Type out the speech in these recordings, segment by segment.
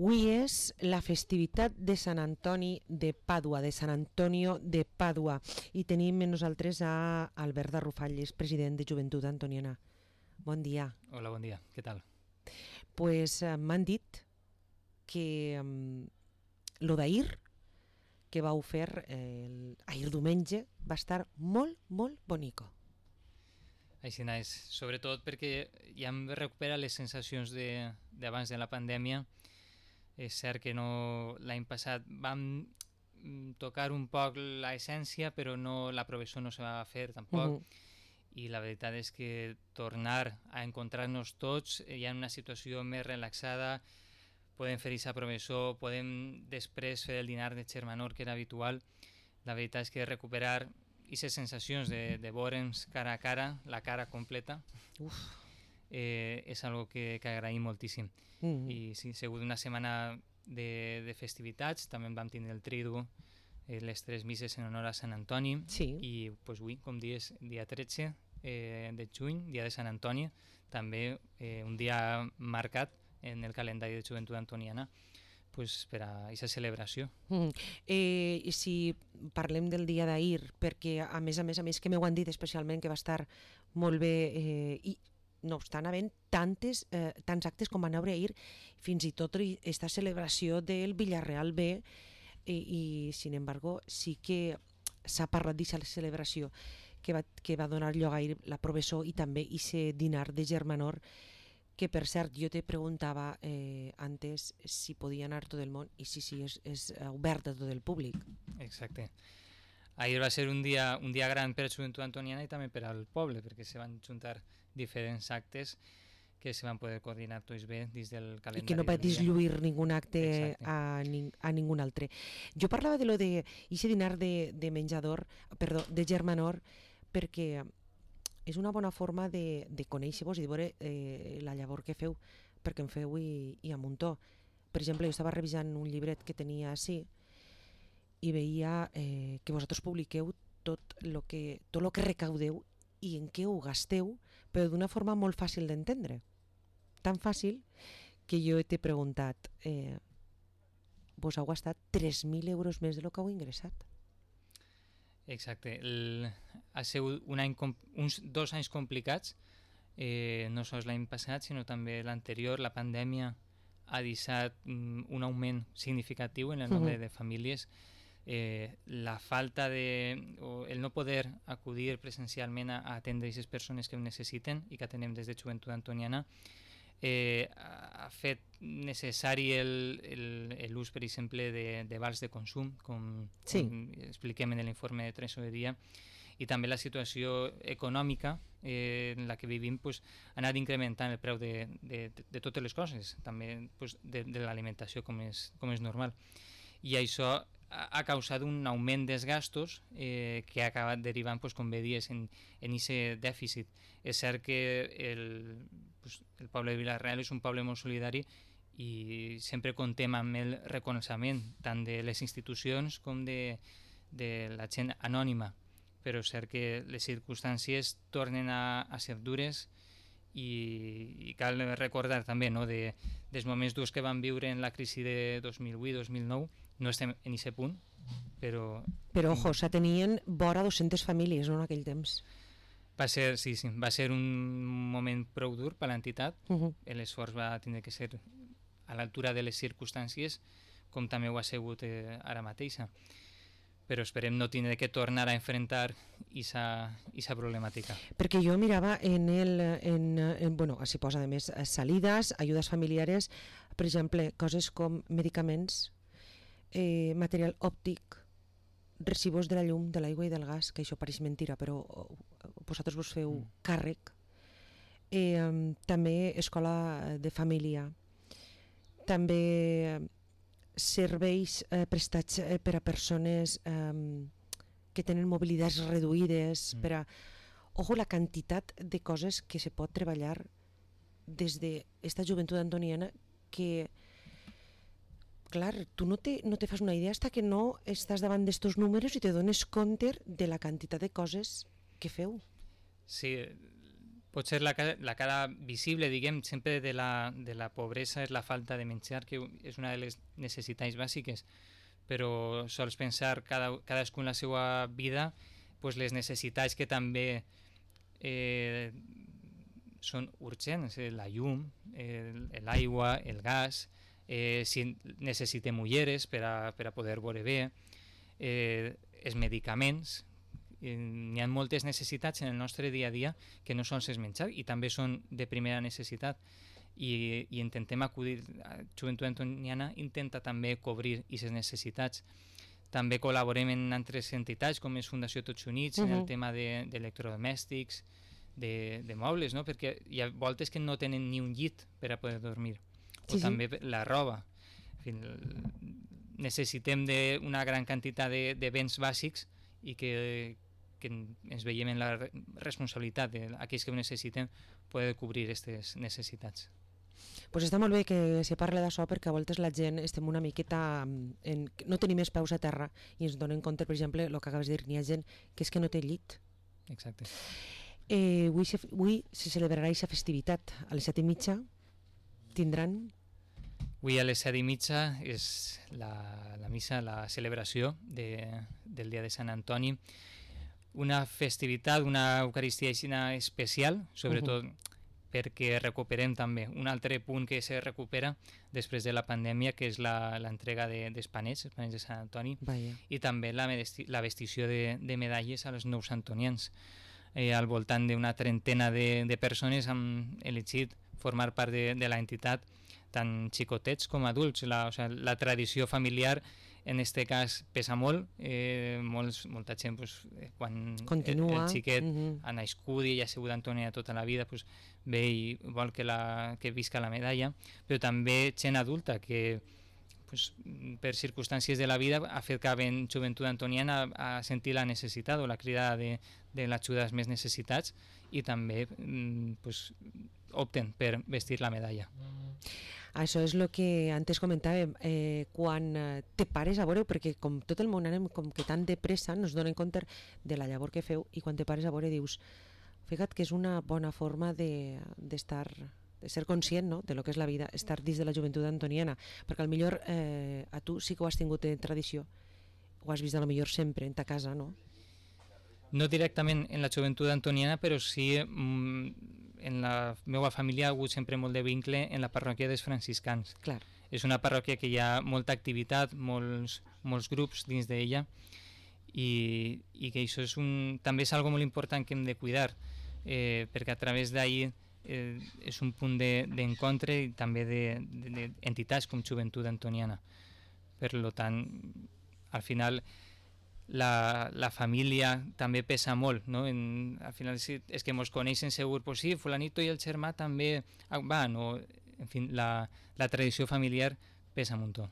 Avui és la festivitat de Sant Antoni de Pàdua, de Sant Antonio de Pàdua, i tenim amb nosaltres a Albert de Rufalles, president de Joventut Antoniana. Bon dia. Hola, bon dia. Què tal? Pues m'han dit que lo d'ahir, que vau fer ahir diumenge, va estar molt, molt bonico. Així és, sobretot perquè ja hem recuperat les sensacions d'abans de la pandèmia. És cert que l'any passat vam tocar un poc l'essència, però la professó no se va fer tampoc. I la veritat és que tornar a encontrar-nos tots ja en una situació més relaxada, podem fer aquesta professó, podem després fer el dinar de germanor que era habitual. La veritat és que recuperar aquestes sensacions de veure'ns cara a cara, la cara completa, és algo que agraïm moltíssim. I sí, ha sigut una setmana de festivitats, també vam tindre el tridu, les 3 misses en honor a Sant Antoni, i pues, avui, com dius, dia 13 de juny, dia de Sant Antoni, també un dia marcat en el calendari de Joventut Antoniana, pues, per a aquesta celebració. I si parlem del dia d'ahir, perquè a més que m'ho han dit especialment que va estar molt bé, i no obstant havent tants actes com van haver ahir, fins i tot aquesta celebració del Villarreal B, i sin embargo sí que s'ha parlat d'aquesta celebració que va donar lloc ahir la professó i també aquest dinar de germanor, que per cert jo te preguntava antes si podia anar tot el món, i sí, és obert a tot el públic. Exacte. Ahir va ser un dia gran per a Joventut Antoniana i també per al poble, perquè se van juntar diferents actes que se van poder coordinar tots bé dins del calendari. I que no va dislluir ningun acte a ningun altre. Jo parlava de lo de aquest dinar de menjador, perdó, de germanor, perquè és una bona forma de conèixer-vos i de veure la llavor que feu, perquè en feu i a muntó. Per exemple, jo estava revisant un llibret que tenia així i veia que vosaltres publiqueu tot lo que recaudeu i en què ho gasteu, però d'una forma molt fàcil d'entendre. Tan fàcil que jo t'he preguntat, vos heu gastat 3.000 euros més del que heu ingressat. Exacte. Ha sigut uns 2 anys complicats, no sols l'any passat, sinó també l'anterior. La pandèmia ha deixat un augment significatiu en el nombre de famílies. La falta el no poder acudir presencialment a atendre aquestes persones que ho necessiten i que atenem des de Joventut Antoniana ha fet necessari l'ús, per exemple, de vals de consum, com expliquem en l'informe de tresoreria, i també la situació econòmica en la que vivim ha anat incrementant el preu de totes les coses, també de l'alimentació, com és normal. I això ha causat un augment dels gastos que ha acabat derivant, com bé dies, en aquest dèficit. És cert que el poble de Villarreal és un poble molt solidari i sempre comptem amb el reconeixement tant de les institucions com de la gent anònima, però és cert que les circumstàncies tornen a ser dures i cal recordar també dels moments durs que vam viure en la crisi de 2008-2009. No estem en aquest punt, però... Però, ojo, s'atenien vora 200 famílies, no, en aquell temps. Va ser un moment prou dur per l'entitat. L'esforç va tindre que ser a l'altura de les circumstàncies, com també ho ha sigut ara mateixa. Però esperem no tindre que tornar a enfrontar aquesta problemàtica. Perquè jo mirava s'hi posa a més salides, ajudes familiares, per exemple, coses com medicaments, material òptic, recibos de la llum, de l'aigua i del gas, que això pareix mentira, però vosaltres vos feu càrrec, també escola de família, també serveis prestats per a persones que tenen mobilitats reduïdes, ojo, la quantitat de coses que se pot treballar des d'esta Joventut Antoniana, que clar, tu no te fas una idea fins que no estàs davant d'estos números i te dones compte de la quantitat de coses que feu. Sí, Potser la cara visible, diguem, sempre de la pobresa és la falta de menjar, que és una de les necessitats bàsiques, però sols pensar cadascú en la seva vida, pues les necessitats que també són urgents, la llum, l'aigua, el gas, si necessitem ulleres per a poder veure bé, els medicaments. N'hi ha moltes necessitats en el nostre dia a dia que no sols és menjar i també són de primera necessitat i intentem acudir, Joventut Antoniana intenta també cobrir aquestes necessitats. També col·laborem en altres entitats com és Fundació Tots Units en el tema d'electrodomèstics, de mobles, no? Perquè hi ha voltes que no tenen ni un llit per a poder dormir, o també la roba. En fi, necessitem una gran quantitat de béns bàsics i que ens veiem en la responsabilitat d'aquells que ho necessiten poder cobrir aquestes necessitats. Pues està molt bé que se parli d'això perquè a voltes la gent estem una miqueta no tenim més peus a terra i ens donem compte, per exemple, el que acabes de dir, n'hi ha gent que és que no té llit. Exacte. Avui se celebrarà aquesta festivitat a les 7:30 tindran... Avui a les 7:30 és la missa, la celebració del dia de Sant Antoni, una festivitat, una Eucaristia especial, sobretot perquè recuperem també un altre punt que se recupera després de la pandèmia, que és l'entrega dels panets de Sant Antoni. Vaya. I també la vestició de medalles als nous antonians. Al voltant d'una trentena de persones han elegit formar part de l'entitat, tant xicotets com adults. La tradició familiar en aquest cas pesa molt, molta gent quan continua. El xiquet ha nascut i ha sigut Antònia tota la vida, ve i vol que visca la medalla, però també gent adulta que per circumstàncies de la vida ha fet que en Joventut Antoniana a sentir la necessitat o la crida de l'ajuda als més necessitats i també opten per vestir la medalla. Això és el que antes comentàvem, quan te pares a veure, perquè com tot el món anem com que tan de pressa, no es donen compte de la llavor que feu i quan te pares a veure dius, fica't que és una bona forma de ser conscient, no?, de lo que és la vida, estar dins de la joventut antoniana, perquè al millor a tu sí que ho has tingut en tradició, ho has vist a lo millor sempre en ta casa, no? No directament en la joventut antoniana, però sí en la meva família ha hagut sempre molt de vincle en la parròquia dels franciscans. Clar. És una parròquia que hi ha molta activitat, molts grups dins d'ella i que això també és algo molt important que hem de cuidar, perquè a través d'ahir és un punt d'encontre i també d'entitats com Joventut Antoniana. Per tant, al final la família també pesa molt, no? Al final és que ens coneixen segur, pues sí, fulanito i el germà també van, o en fi, la tradició familiar pesa un muntó.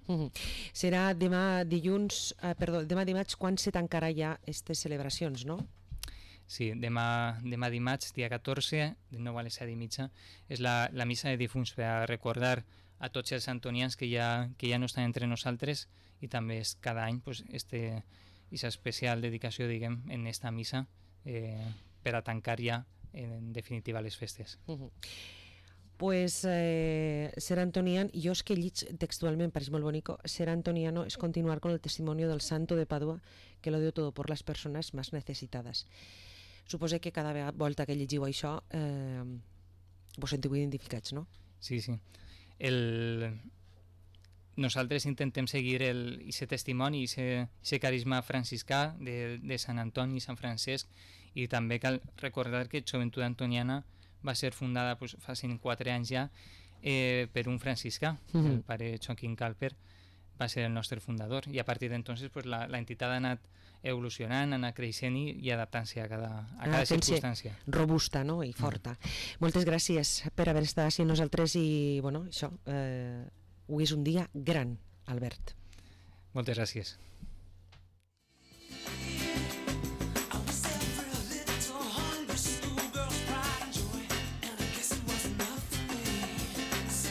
Serà demà dimarts quan se tancarà ja aquestes celebracions, no? Sí, demà dimarts, dia 14, de nou a les 7:30, és la missa de difunts per a recordar a tots els antonians que ja no estan entre nosaltres i també és cada any aquesta especial dedicació, diguem, en esta missa per a tancar ja en definitiva les festes. Pues ser antonian, jo és que llig textualment, pareix molt bonico, ser antoniano es continuar con el testimonio del santo de Padua que lo dio todo por las personas más necesitadas. Suposo que cada volta que llegiu això vos sentiu identificats, no? Sí. Nosaltres intentem seguir aquest testimoni, aquest carisma franciscà de Sant Antoni i Sant Francesc, i també cal recordar que Joventut Antoniana va ser fundada fa 4 anys ja per un franciscà, el pare Joaquín Calper va ser el nostre fundador, i a partir d'entonces l'entitat ha anat evolucionant, ha anat creixent i adaptant-se a cada circumstància. Robusta, no?, i forta. Moltes gràcies per haver estat així amb nosaltres i, bueno, això, avui és un dia gran, Albert. Moltes gràcies.